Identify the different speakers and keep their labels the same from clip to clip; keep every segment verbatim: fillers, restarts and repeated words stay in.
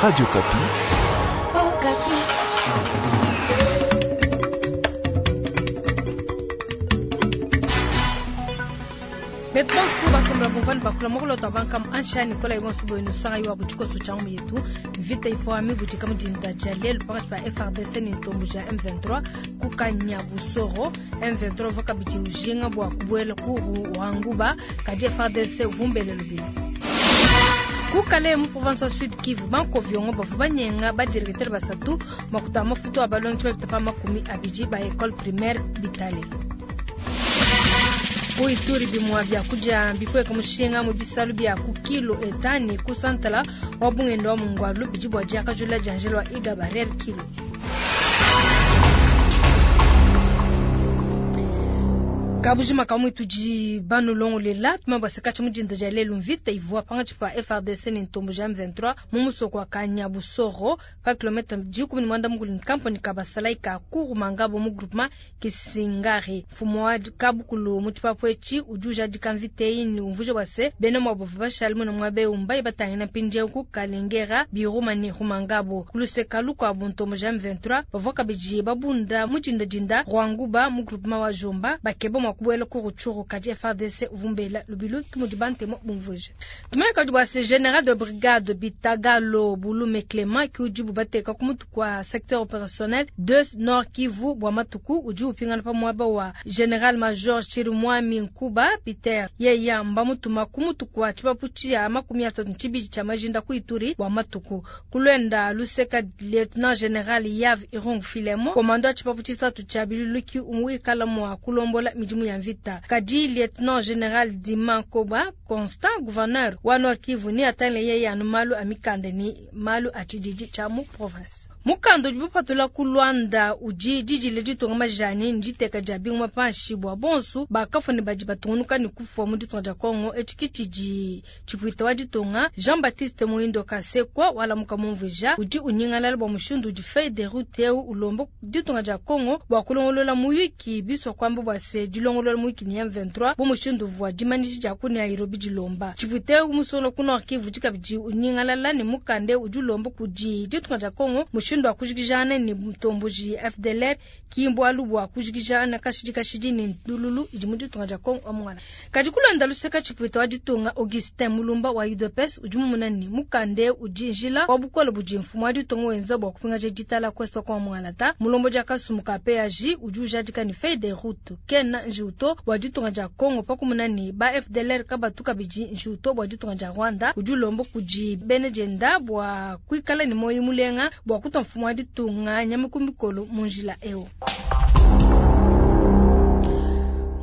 Speaker 1: Radio Okapi.
Speaker 2: Oh,
Speaker 3: Betonsu basombela bumvani bakula mokulota bankamu ansha Nicolas Ibonsu boyino sanga yo abutikoso changu yetu vita ifo mibudika mudinda dia lelu pakati pa F R D C ni ntombo ja M vingt-trois kukanya busoro M vingt-trois vakabidi ujinga bwa kubuela ku Rwanguba kadi F R D C vumbele lubili kukale mu province Sud Kivu banko viongo bavu banyenga ba directeur basatu makuta mafuto abalongi ba bitapa makumi abiji ba école primaire Bitale. Uituri bimwa bya kuja bikweka mushinga mu bisalu bya ku kilo etani ku santala wa bungendo wa mungwalu bijibwa jaka jula janjelo wa iga barrière kilo. Kabujima kamwe tuji banu longo lela tumaba sekacha mujinda ja lelu mvita ivua panga chipa F R D C ni ntombo ja M vingt-trois mumuso kwa Kanyabusoro pa kilometre jikumi ni mwanda mukuli nkampo ni kabasala ika kuru mangabo mu groupement Kisingari. Mfumo wa kabukulu muchipapwechi ujuja dikamvite ini umvuje wase bene mwabovu bashalimu na mwabe umba ibatangina mpinje ku Kalengera biruma ni rumangabo kuluseka lukwa buntombo ja M vingt-trois bavoka biji babunda mujinda jinda Rwanguba mu groupement wa Jomba bakebo mwa kubuela ku Rutshuru kadi F R D C uvumbela lubilu kimudibante mo bumvuje. Tumeka dubwa se général de brigade Bitagalo Bulume Clément ki ujibu bateka kumutu kwa secteur opérationnel deux Nord Kivu bwa matuku uji upingana pa mwaba wa général major Chirimwami Nkuba Peter yeya mbamutuma kumutu kwa chipapuchi ya makumi asatu nchibiji cha majinda ku Ituri bwa matuku kulwenda luseka lieutenant général Yav Irung Filemo komando ya chipapuchi satu cha biluluki umuikala mwa kulombola mijimu ya mvita kadi lieutenant général Diman Koba Constant gouverneur wa Nord Kivu ni atale yeye anu malu amikande ni malu atididi cha mu province mukando jibupatula ku Luanda uji jiji lejitonga majani njiteka ja bingwa panshi bwa bonsu bakafuni baji batungunuka ni kufwa mu ditonga ja Kongo echikitiji chipwita wa ditonga Jean-Baptiste Muindo Kasekwa wala mukamumvuja uji unyingalala bwa mushindu uji feuille de route eu ulombo ditonga ja Kongo bwa kulongolola muyiki biswa kwamba bwa se dilongolola muyiki ni M vingt-trois bo mushindu vwa dimaniji ja ku Nairobi dilomba chipwita umusono ku Nord Kivu jikabiji unyingalala ni mukande uji ulombo kuji ditonga ja Kongo mushindu wa kujikijana ni mtomboji F D L R kimbo alubwa kujikijana kashidi kashidi ni ndululu idimudu tunga ja Kongo amwana kajikulanda luseka chipwita wa ditunga Augustin Mulumba wa U D P S ujumumuna ni mukande ujinjila wa bukola bujimfumu wa ditunga wenza bwa kupinga je ditala kwesto kwa mwana ta mulombo ja kasumuka P A J ujuja dikani feuille de route kena njuto wa ditunga ja Kongo pakumuna ni ba F D L R kabatuka biji njuto bwa ditunga ja Rwanda ujulombo kuji benejenda bwa kuikala ni moyo mulenga bwa kutomfu mwadi tunga nyamukumbikolo munjila eo.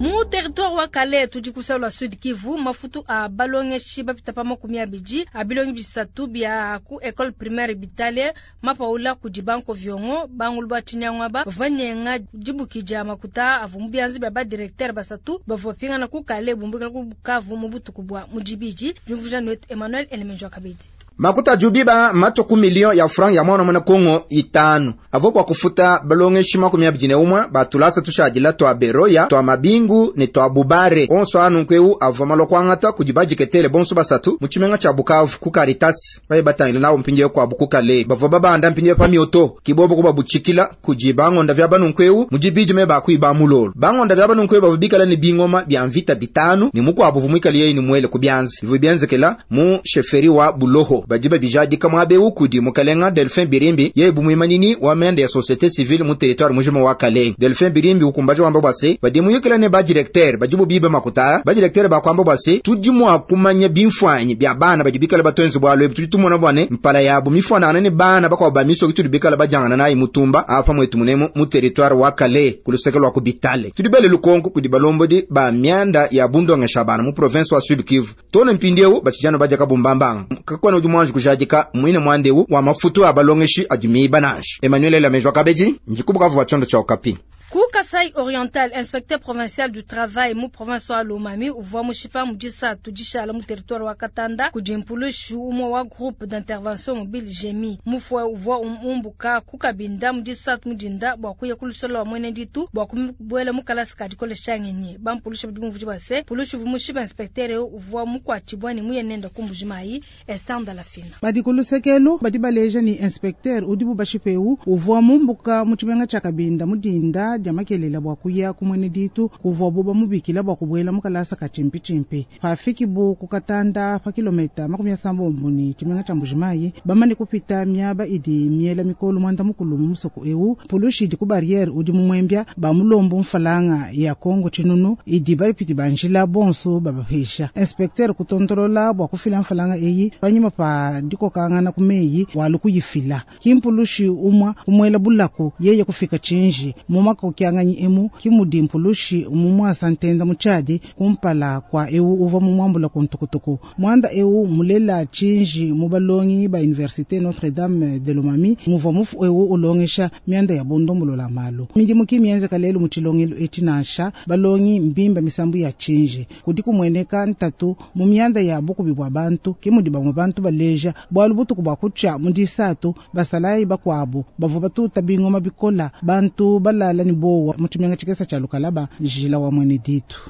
Speaker 3: Mu territoire wa Kale tujikusala Sud Kivu mafutu a balongeshi bapita pa makumi abiji abilongi bisatu bya ku école primaire Bitale mapaula kujibanko viongo bangulu bachinyangwa ba vanyenga jibukija makuta avumu byanzi bya ba directeur basatu bavopinga na ku Kale bumbukela ku Bukavu mu butuku bwa mujibiji jumvuja net Emmanuel Elemenjo Kabedi.
Speaker 4: Makuta jubiba matoku milion ya franc ya mwana mwana Kongo itano. Avo kwa kufuta balongeshi makumi abiji ne umwe batulasa tushadila twa Beroya, twa Mabingu ne twa Bubare. Onso anu nkweu avo malokwangata kujibajiketele bonso basatu muchimenga cha Bukavu ku Caritas. Baye batangile nawo mpinje kwa Bukukale. Bavo babanda mpinje pa mioto kibobo kuba buchikila kujibango ndavya banu nkweu mujibiji me bakuiba mulolo. Bango ndavya banu nkweu babikala ni bingoma bya mvita bitanu ni mukwabu vumwikali yeye ni mwele kubyanzi. Ivu byanzekela mu sheferi wa Buloho. Bajiba bijadi kama abe ukudi mukalenga Delphin Birimbi ye bumuimanini wa mende ya société civile mu territoire mujima wa Kale. Delphin Birimbi ukumbaje wamba bwase badimu yukela ne ba directeur bajibu bibe makuta ba directeur ba kwamba bwase tujimu akumanya bimfwanyi bya bana bajibikala batonzi bwalo tulitumona bwane mpala yabo mifwana ne bana bakwa ba miso kitulibikala bajangana nayi mutumba apa mwetu munemo mu territoire wa Kale kuluseke lwa kubitale tulibele lukonko kudibalombodi ba myanda ya bundonga shabana mu province wa Sud Kivu tone mpindiewu bachijano baja kabumbambanga kakwana ujumwanji kujadika mwine mwandewu wa mafutu abalongeshi adimi banange Emmanuel Lamejwa Kabeji njikubuka vuwa chondo cha Okapi.
Speaker 3: Ku Kasai Oriental, inspecteur provincial du travail mu province wa Lomami uvua mushipa mu disatu dishala mu territoire wa Katanda kudi mpulushi umue wa groupe d'intervention mobile GEMI. Mufue uvua umbuka ku Kabinda mu disatu mudinda bua kuya ku lusolo wa mwene ditu bua kubuela mu kalasa ka dikolesha ngenyi. Bampulushi badi bumvuija bua se pulushi uvua mushipa inspecteur uvua mukuatshibua ne muye nenda ku Mbujimayi Esther Ndalafina.
Speaker 1: Badi ku lusekelu badi baleja ni inspecteur udibu bashipewu uvua mumbuka mu tshimenga tshia Kabinda mudinda dia makelela bua kuya ku mwene ditu kuvua bo bamubikila bua kubuela mu kalasa ka tshimpi pafiki bu ku Katanda pa kilomita makumi asambombo ni tshimenga tshia Mbujimayi bamane kupita miaba idi miela mikolo mwanda mukulu mu musoko ewu pulushi idi ku barriere udi mu mwembya bamulombo mfalanga ya Kongo tshinunu idi bapiti banjila bonso babapesha inspecteur kutontolola bua kufila mfalanga eyi panyima pa dikokangana ku meyi walu kuyifila kimpulushi umwa kumwela bulaku yeye kufika chinji mu makokianganyi emu kimudi mpulushi mumwasa ntenda muchadi kumpala kwa ewu uva mumwambula kuntukutuku mwanda ewu mulela chinji mubalongi ba université Notre Dame de Lomami muva mufu ewu ulongesha mianda ya bondombolola malu midimu kimienze kalelu muchilongelo echinasha balongi mbimba misambu ya chinji kudi kumweneka ntatu mu mianda ya bukubi bwa bantu kimudi bamwe bantu baleja bwalu butuku bwa kucha mudisatu basalayi bakwabo bavua batuta bingoma bikola bantu balala ni bowa muchimenga chikesa cha Lukalaba njila wa mwene ditu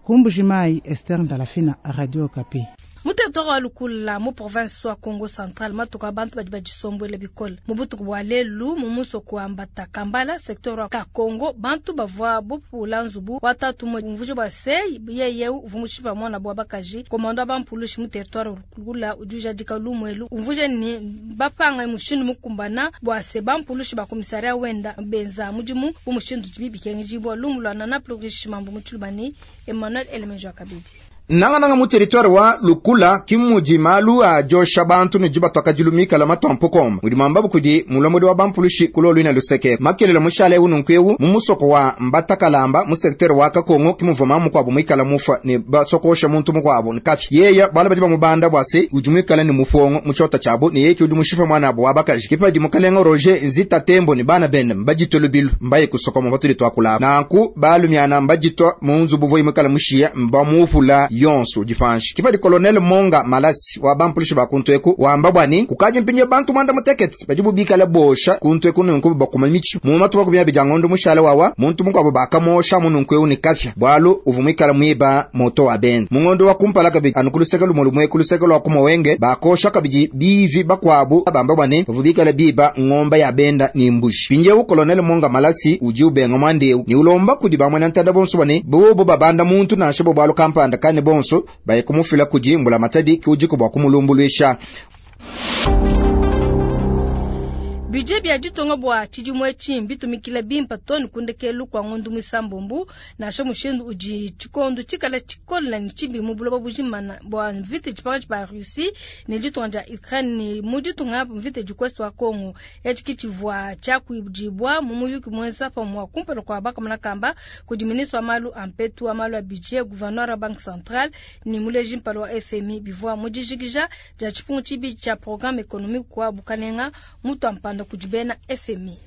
Speaker 1: Kumbujimayi Esther Ndalafina Radio Okapi.
Speaker 3: Mu territoire wa Lukula mu province wa Congo Central matuka bantu badi badisombwela bikole mu butuku bwa lelu mu musoko wa Mbata Kambala secteur wa Kakongo bantu bavua bupula nzubu watatu mu mvujo bwa se yeye uvua mushipa mwana bwa bakaji komando bampulushi mu territoire wa Lukula ujuja dika lumwelu umvuje ni bapanga mushindu mukumbana bwa se bampulushi ba komisaria wenda benza mudimu bu mushindu bibikengi lumulwa na plurish mambo mutulubani Emmanuel Elemenjo Kabidi
Speaker 4: nangananga mu territoire wa Lukula kimudi malu a josha bantu ne jiba twakajilumika la matompo komba mudi mwambabu kudi mulomodi wa bampulushi kulolu ina luseke makelela mushale ununkewu mu musoko wa Mbatakalamba mu secteur wa Kakongo kimuvoma mukwabo mwikala mufa ne basokosha muntu mukwabo nkafi yeya bala badi bamubanda bwase udi mwikala ne mufongo mu chota chabo ne yeki udi mushipa mwana abo wabakaji kipadi mukalenga Roger Nzita Tembo ne bana bende mbajitolo bilu mbaye kusokoma batuli twakula nanku balumyana mbajitwa mu nzubu voi mwikala mushiya mbamufula yonso difanshi kipadi colonel Monga Malasi wa bampulishi bakuntu eku wamba bwani kukaji mpinye bantu mwanda mutekete badi bubikala bosha kuntu eku nunku bakuma michi mu matuba kubya bijangondo mushala wawa muntu mukwabo bakamosha mununku ewu ni kafya bwalu uvumikala mwiba moto wa bende mungondo wa kumpala kabi anukuluseka lumolumwe kuluseka lwa kumowenge bakosha kabiji bivi bakwabu abamba bwani bavubikala biba ngomba ya benda ni mbushi pinjewu colonel Monga Malasi uji ubenga mwandeu ni ulomba kudi bamwe ntada bonso bwani bobo babanda muntu nashe bo bwalu kampanda kane bonso baye kumufila kuji mbula matadi kiujiko bwa kumulumbulwisha.
Speaker 3: Budget bya ditonga bwa tshidimue tshimbi tumikila bimpa toni kundekelu kwa ngondu misambombu nasha mushindu udi tshikondo tshikala tshikola ni tshimbi mu buloba bujimana bwa mvita tshipanga ba Russie ne ditonga dia Ukraine ni mu ditonga mvita dikwest wa Congo etshi kitshivua tshia kuibudibwa mu muyuki mwenza pa mwa kumpala kwa bakamana kamba kudi ministre wa malu ampetu wa malu a budget gouverneur wa banque centrale ni muleji mpalo wa F M I bivua mu dijikija dia tshipungu tshibi tshia programme économique kwa bukanenga mutu ampanda kujibena F M I.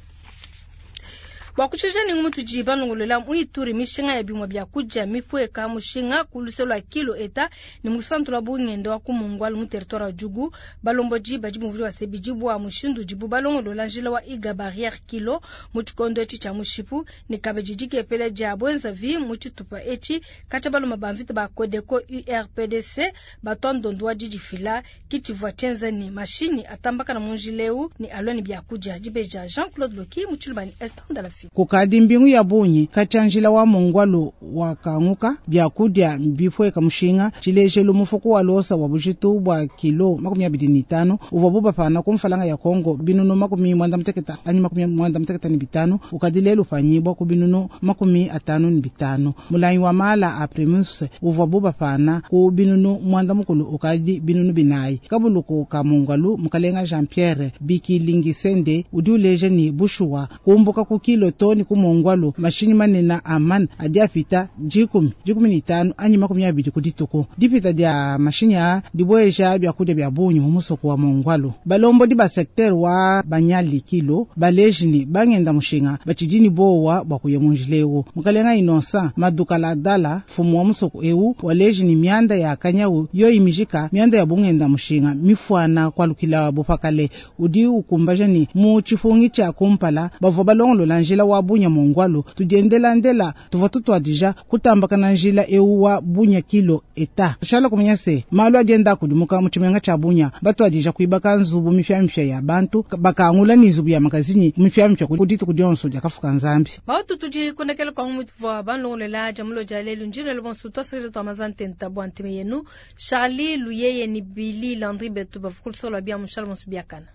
Speaker 3: Bwa kushesha ningu mutu jiba nongolela muituri mishinga ya bimwa bya kuja mipweka mushinga kuluselwa kilo eta ni musantu la bungendo wa kumungwalu mu territoire wa Djugu balombo jiba jimuvuli wa sebiji bwa mushindu jibu balongolola njila wa iga barrière kilo mu tshikondo etshi tshia mushipu ni kabeji dikepele dia bwenza vi mu tshitupa etshi katshia baloma ba mvita ba Codeco U R P D C batondondo wa didifila kitshivua tshienza ni mashini atambakana mu njila eu ni alwa ni bya kuja dibeja Jean-Claude Loki mu tshilubani Esther Ndalafi.
Speaker 1: Kukadi mbingu ya bunyi katshia wa mungwalu wakanguka byakudia bipweka mushinga tshilejelu mufuku wa losa wa bujitu bwa kilo makumi abidi ni tano uvua bubapana ku mfalanga ya Kongo binunu makumi mwanda muteketa anyi makumi mwanda muteketa ni bitano ukadi lelu panyibwa ku binunu makumi atano ni bitano mulanyi wa mala a primus uvua bubapana ku binunu mwanda mukulu ukadi binunu binayi kabuluku ka mungwalu mukalenga Jean Pierre Bikilingisende udi uleja ni bushuwa kumbuka ku kilo to ni ku Mongwalu mashinyi manena a man adi apita dikumi dikumi ni tanu anyi makumi abidi ku dituku. Dipita dia mashinyi a dibueja byakudia bya bungi mu musoko wa Mongwalu. Balombodi ba secteur wa Banyali Kilo baleji ni bangenda mushinga batshidi ni bowa bwa kuya mu njila eu. Mukalenga Innocent Madukala Dala mfumu wa musoko eu waleji ni mianda ya kanyau yoyi mijika mianda ya bungenda mushinga mifuana kwalukila bupakale udi ukumbaja ni mu tshipungi tshia kumpala bavua balongolola njila wa bunya mongwalu tudiendela ndela tuvua tutwadija kutambakana njila eu wa bunya kilo eta tushala kumanya se malu adienda kudimuka mu tshimenga tshia bunya batwadija kuibaka nzubu mipyamipya ya bantu bakangula ni nzubu ya magazini mipyamipya ku dituku dionso diakafuka nzambi
Speaker 3: bautu tudi kondekela kwa mutuvua banlongolela jamulo dia lelu njina bonso twasakija twa mazantenta bwa ntime yenu Charlie Luyeye ni Billy Landry betu bavukulusola bia mushala bonso biakana.